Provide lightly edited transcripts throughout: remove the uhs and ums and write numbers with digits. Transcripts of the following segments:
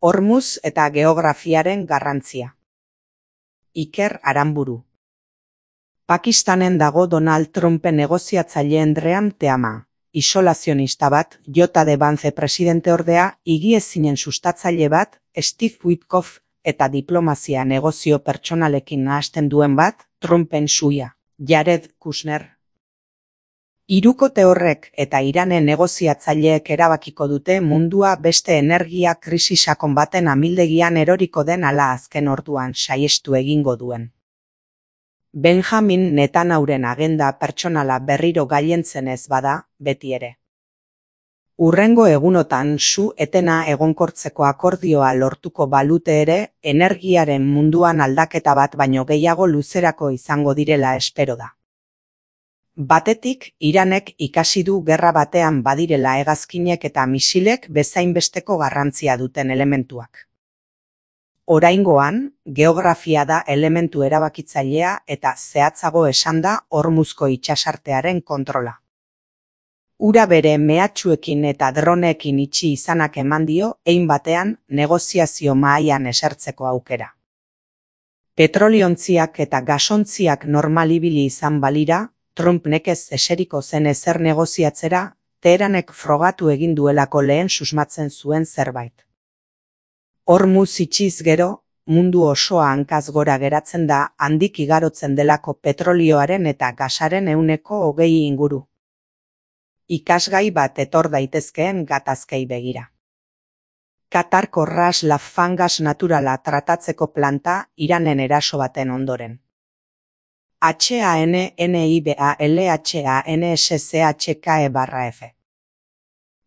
Hormuz eta geografiaren garrantzia. Iker Aranburu. Pakistanen dago Donald Trumpen negoziatzaileen Dream Teama, isolazionista bat, J.D. Vance presidente ordea, higiezinen sustatzaile bat, Steve Witkoff, eta diplomazia negozio pertsonalekin nahasten duen bat, Trumpen suia, Jared Kushner. Hirukote horrek eta Iranen negoziatzaileek erabakiko dute mundua beste energia krisi sakon baten amildegian eroriko den ala azken orduan saiestu egingo duen. Benjamin Netanyahuren agenda pertsonala berriro gailentzen ez bada, beti ere. Hurrengo egunotan su-etena egonkortzeko akordioa lortuko balute ere, energiaren munduan aldaketa bat baino gehiago luzerako izango direla espero da. Batetik, Iranek ikasi du gerra batean badirela hegazkinek eta misilek bezainbesteko garrantzia duten elementuak. Oraingoan, geografia da elementu erabakitzailea eta zehatzago esanda Hormuzko itsasartearen kontrola. Ura bere mehatxuekin eta droneekin itxi izanak eman dio, hein batean negoziazio mahaian esertzeko aukera. Petroliontziak eta gasontziak normal ibili izan balira, Trump nekez eseriko zen ezer negoziatzera, Teheranek frogatu egin duelako lehen susmatzen zuen zerbait. Hormuz itxiz gero, mundu osoa hankaz gora geratzen da handik igarotzen delako petrolioaren eta gasaren 20% inguru. Ikasgai bat etor daitezkeen gatazkei begira. Katarko Ras Laffan gas naturala tratatzeko planta Iranen eraso baten ondoren. HANNIBALHANSCHKE/F.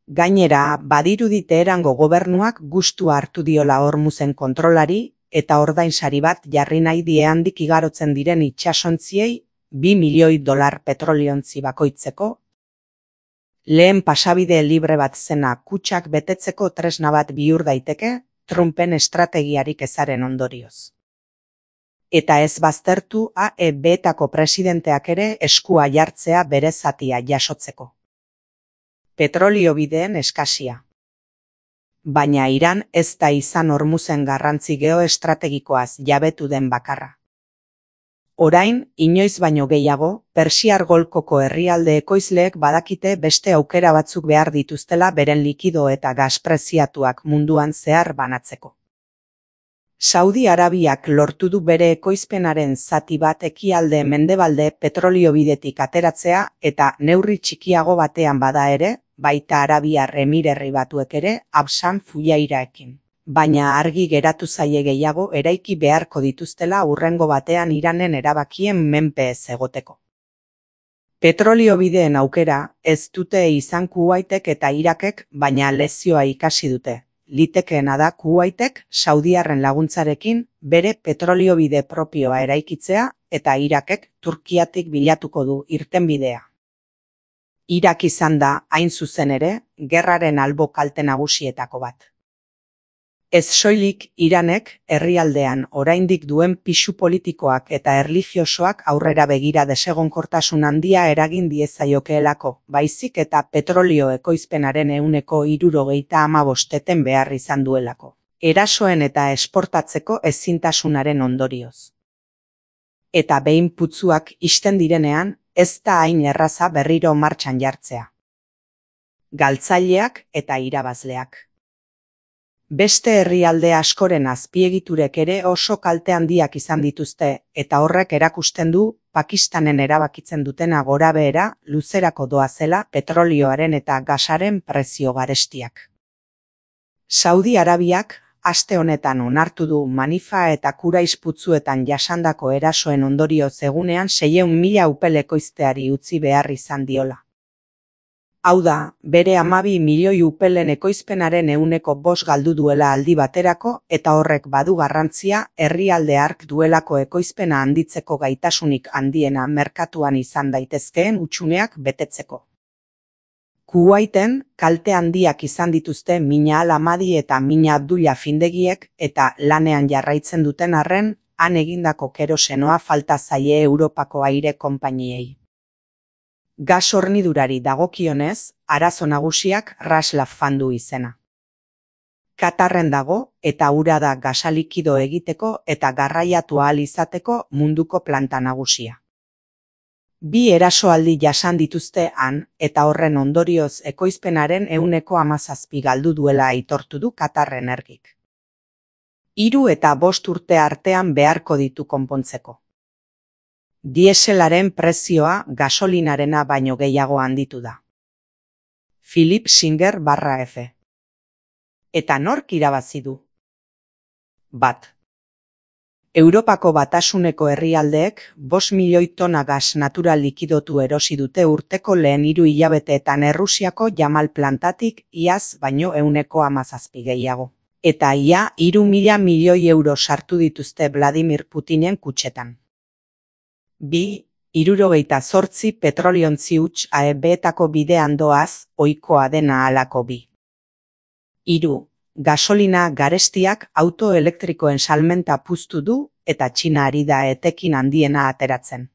Gainera, badirudi Teherango gobernuak gustua hartu diola Hormuzen kontrolari eta ordainsari bat jarri nahi die handik igarotzen diren itsasontziei $2 milioi petroliontzi bakoitzeko. Lehen pasabide libre bat zena kutxak betetzeko tresna bat bihur daiteke, Trumpen estrategiarik ezaren ondorioz. Eta ez baztertu AEB-etako presidenteak ere eskua jartzea bere zatia jasotzeko. Petrolio bideen eskasia. Baina Iran ez da izan Hormuzen garrantzi geoestrategikoaz jabetu den bakarra. Orain, inoiz baino gehiago, Persiar Golkoko herrialde ekoizleek badakite beste aukera batzuk behar dituztela beren likido eta gas preziatuak munduan zehar banatzeko. Saudi Arabiak lortu du bere ekoizpenaren zati bat ekialde mendebalde petrolio bidetik ateratzea eta neurri txikiago batean bada ere, baita Arabiar Emirerri Batuek ere, Absan Fujairaekin. Baina argi geratu zaie gehiago eraiki beharko dituztela hurrengo batean Iranen erabakien menpe ez egoteko. Petrolio bideen aukera ez dute izan Kuwaitek eta Irakek, baina lezioa ikasi dute. Litekeena da Kuwaitek saudiarren laguntzarekin bere petroliobide propioa eraikitzea eta Irakek Turkiatik bilatuko du irtenbidea. Irak izan da, hain zuzen ere, gerraren albo kalte nagusietako bat. Ez soilik Iranek herrialdean oraindik duen pisu politikoak eta erlijiosoak aurrera begira desegonkortasun handia eragin diezaiokeelako, baizik eta petrolio ekoizpenaren 65% behar izan duelako. Erasoen eta esportatzeko ezintasunaren ondorioz. Eta behin putzuak ixten direnean, ez da hain erraza berriro martxan jartzea. Galtzaileak eta irabazleak. Beste herrialde askoren azpiegiturek ere oso kalte handiak izan dituzte, eta horrek erakusten du Pakistanen erabakitzen dutena gorabehera luzerako doazela petrolioaren eta gasaren prezio garestiak. Saudi Arabiak aste honetan onartu du Manifa eta Kurais putzuetan jasandako erasoen ondorioz egunean 600.000 upel ekoizteari utzi behar izan diola. Hau da, bere 12 milioi upelen ekoizpenaren 5% galdu duela aldi baterako eta horrek badu garrantzia herrialde hark duelako ekoizpena handitzeko gaitasunik handiena merkatuan izan daitezkeen hutsuneak betetzeko. Kuwaiten kalte handiak izan dituzte Mina Al-Hamadi eta Mina Abdullah findegiek eta lanean jarraitzen duten arren, han egindako kerosenoa falta zaie Europako aire konpainiei. Gas hornidurari dagokionez, arazo nagusiak Ras Laffan du izena. Katarren dago eta ura da gasa likido egiteko eta garraiatu ahal izateko munduko planta nagusia. 2 erasoaldi jasan dituzte han eta horren ondorioz ekoizpenaren 17% galdu duela aitortu du Katar Energik. 3 eta 5 urte artean beharko ditu konpontzeko. Dieselaren prezioa gasolinarena baino gehiago handitu da. Philip Singer /F. Eta nork irabazi du? 1. Europako Batasuneko herrialdeek 5 milioi tona gas natural likidotu erosi dute urteko lehen 3 hilabeteetan Errusiako Yamal plantatik iaz baino 17% gehiago. Eta ia 3.000 milioi euro sartu dituzte Vladimir Putinen kutxetan. 2. 78 petroliontzi huts AEB-etako bidean doaz, ohikoa dena halako 2. 3. Gasolina garestiak auto elektrikoen salmenta puztu du eta Txina ari da etekin handiena ateratzen.